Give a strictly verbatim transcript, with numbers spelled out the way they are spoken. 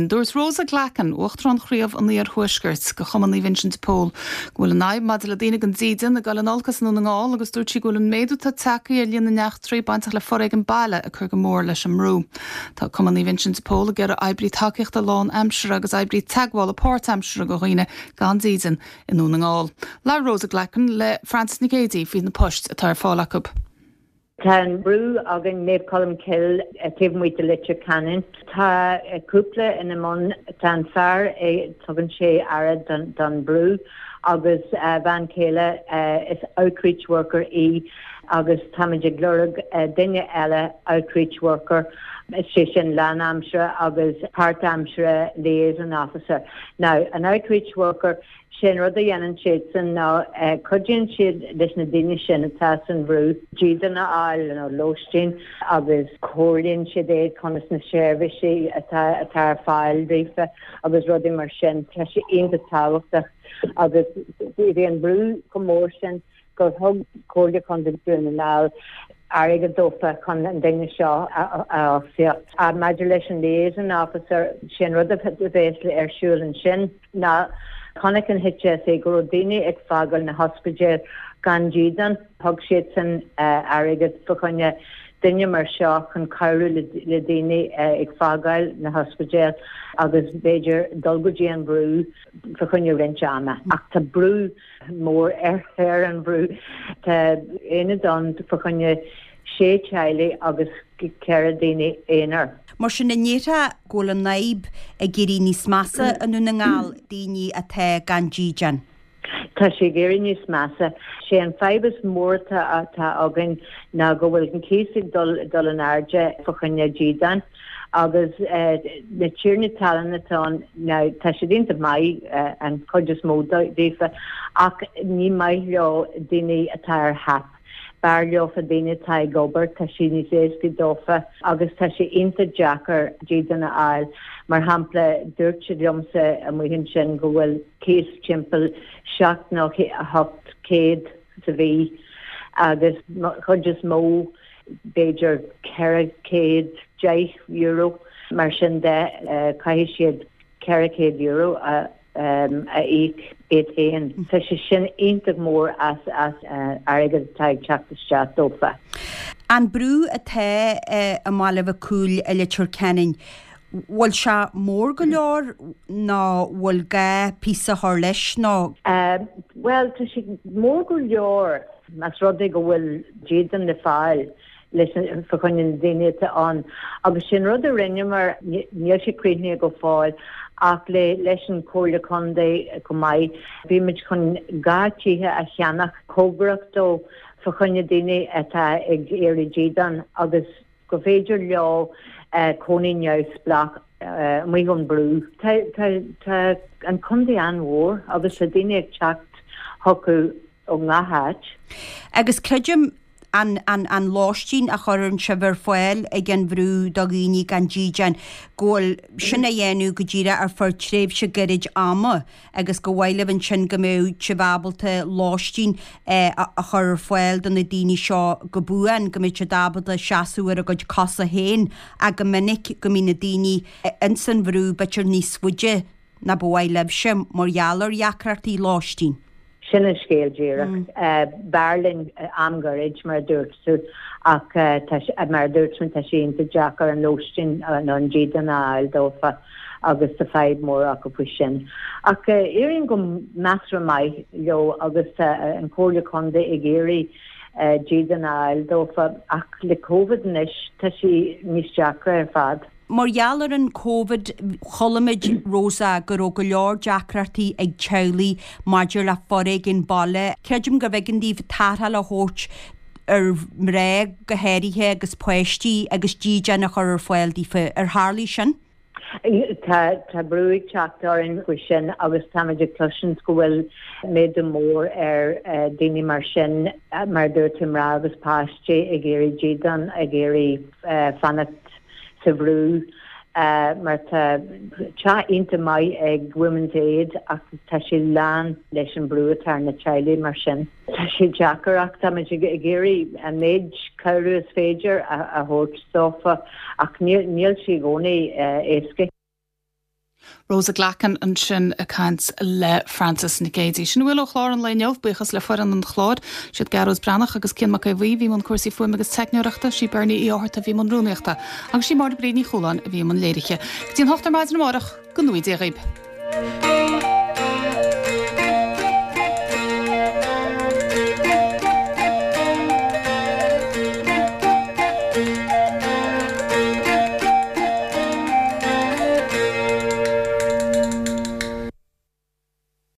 Dúirt Rosa Glackin, Uachtarán Chraobh an Iarthuaiscirt de Chumann Naomh Uinseann de Pól, go bhfuil an fhadhb maidir le daoine gan dídean ag dul in olcas i nDún na nGall agus dúirt sí go bhfuil an méadú atá tagtha ar líon na n-eachtraí bainteach le foréigean baile ag cur go mór leis an mbrú. Tá Cumann Naomh Uinseann de Pól ag iarraidh oibrí tacaíochta lánaimseartha agus oibrí teagmhála páirtaimseartha do dhaoine gan dídean i nDún na nGall. Labhair Rosa Glackin le Frances Nic Géadaigh faoi na poist atá ar fáil acu. Tá an brú againn Naomh Colm Cille taobh amuigh de Leitir Ceanainn. Tá cúpla ina mbun tá an fear tugann sé aire don, don brú agus a bhean chéile is outreach worker í agus táimid ag lorg duine eile outreach worker sé sin lánaimseartha agus páirtaimseartha liaison officer. Now an outreach worker sin rud a dhéanann siad san ná cuidíonn siad leis na daoine sin atá san bhrú dídean a fháil nó lóistín agus comhairlíonn siad iad conas na seirbhísí atá atá ar fáil daofa agus rudaí mar sin tá sé iontach tábhachtach agus bhí an brú chomh mór sin gur thug Comhairle Contae Dhún na nGall airgead dófa chun an duine seo a fhostaíocht. Maidir leis an liaison officer sin rud a bheas ar siúl ansin ná chonaic an HSE go raibh daoine ag fágáil na hospidéal gan dídean thug siad san airgead fá choinne duine mar seo chun cabhrú le daoine ag fágáil na hospidéal agus b'fhéidir dul go dtí an brú fá choinne roinnt ama ach tá brú mór ar ar an brú Tá aonad ann fá choinne sé teaghlaigh agus ceithre daoine aonair. Mar sin an ndéarfá go bhfuil an fhadhb ag éirí níos measa i nDún na nGall daoine atá gan dídean. Tá sé ag éirí níos measa. Sé an fadhb is mór atá againn ná go bhfuil an cíos ag dul dul in airde fá choinne dídean agus na tiarnaí talún atá ann tá siad iontach maith an chuid is mó daofa ach ní maith leo daoine atá ar HAP. B'fhearr leofa daoine atá ag obair tá sé níos éasca dófa agus tá sé iontach deacair dídean a fháil. Mar shampla dúirt siad liomsa amuigh ansin go bhfuil cíos timpeall seacht nó a hocht céad sa mhí agus chuid is mó b'fhéidir ceithre chéad deich euro mar sin de caithfidh siad ceithre chéad euro a a íoc iad féin. Tá sé sin iontach mór as as airgead atá ag teacht isteach dófa. An brú atá i mBaile Mhic Cumhaill i Leitir Ceanainn, bhfuil sé mór go leor nó bhfuil gá píosa a chur leis nó? Bhuel tá sé mór go leor más rud é go bhfuil dídean le fáil leis fá choinne na daoine atá ann agus sin rud a rinneamar níl sé críochnaithe go fóill ach le leis an Comhairle Contae go maith bhí muid chun dhá tithe a cheannach cóngarach dó fá choinne daoine atá ag iarraidh dídean agus go féidir leo cónaí neamhspleách amuigh ón brú. Tá tá an contae an-mhór agus tá daoine ag teacht chucu ó ngach áit. Agus creidim an an an lóistín a chuireann sibh ar fáil ag an bhrú do dhaoine gan dídean, go bhfuil sin á dhéanamh go díreach ar feadh tréimhse gairid ama agus go mhaith libh ansin go mbeadh sibh ábalta lóistín a chur ar fáil do na daoine seo go buan, go mbeadh siad ábalta seasamh ar a gcuid cosa féin ach go minic go mbíonn na daoine ins an bhrú b'fhéidir níos faide ná ba mhaith libhse mar gheall ar dheacrachtaí lóistín. Sin an scéal díreach. B'fhearr linn am gairid mar a dúirt tú ach mar a dúirt mé tá sé iontach deacair an lóistín nó an dídean a fháil dófa agus tá fadhb mór acu faoi sin. Ach éiríonn go measartha maith leo agus tá an Comhairle Contae ag iarraidh dídean a fháil dófa ach le Covid anois tá sé níos deacra ar fad. Mar gheall ar an Covid, chuala muid, Rosa, go raibh go leor deacrachtaí ag teaghlaigh maidir le foréigean baile. Creidim gurbh éigean daoibh tarrtháil a thabhairt ar mhná go háirithe agus páistí agus dídean a chur ar fáil daofa. Ar tharlaigh sin? Tá tá brú ag teacht orainn faoi sin agus táimid ag cloisint go bhfuil méadú mór ar daoine mar sin, mar a dúirt tú, mná agus páistí ag iarraidh dídean, ag iarraidh fanacht sa bhrú mar tá teach iontach maith ag Women's Aid ach tá sé lán leis an brú atá ar na teaghlaigh mar sin. Tá sé deacair ach táimid ag iarraidh an méid cabhrú is féidir a thabhairt dófa ach níl sé i gcónaí éasca. Rosa Glackin ansin ag caint le Frances Nic Géadaigh. Sin a bhfuil ó chlár an lae inniu, buíochas le foireann an chláir, siad Gearóid Breathnach agus Cian Mac Aodha Bhuí a bhí i mbun cúrsaí fuaime agus teicneoireachta, sí Bernie Uí Fhátharta a bhí i mbun rúnaíochta agus sí Máire Bríd Ní Chualáin a bhí i mbun léirithe. Go dtí an hocht ar maidin amárach, go ngnóthaí Dia dhaoibh.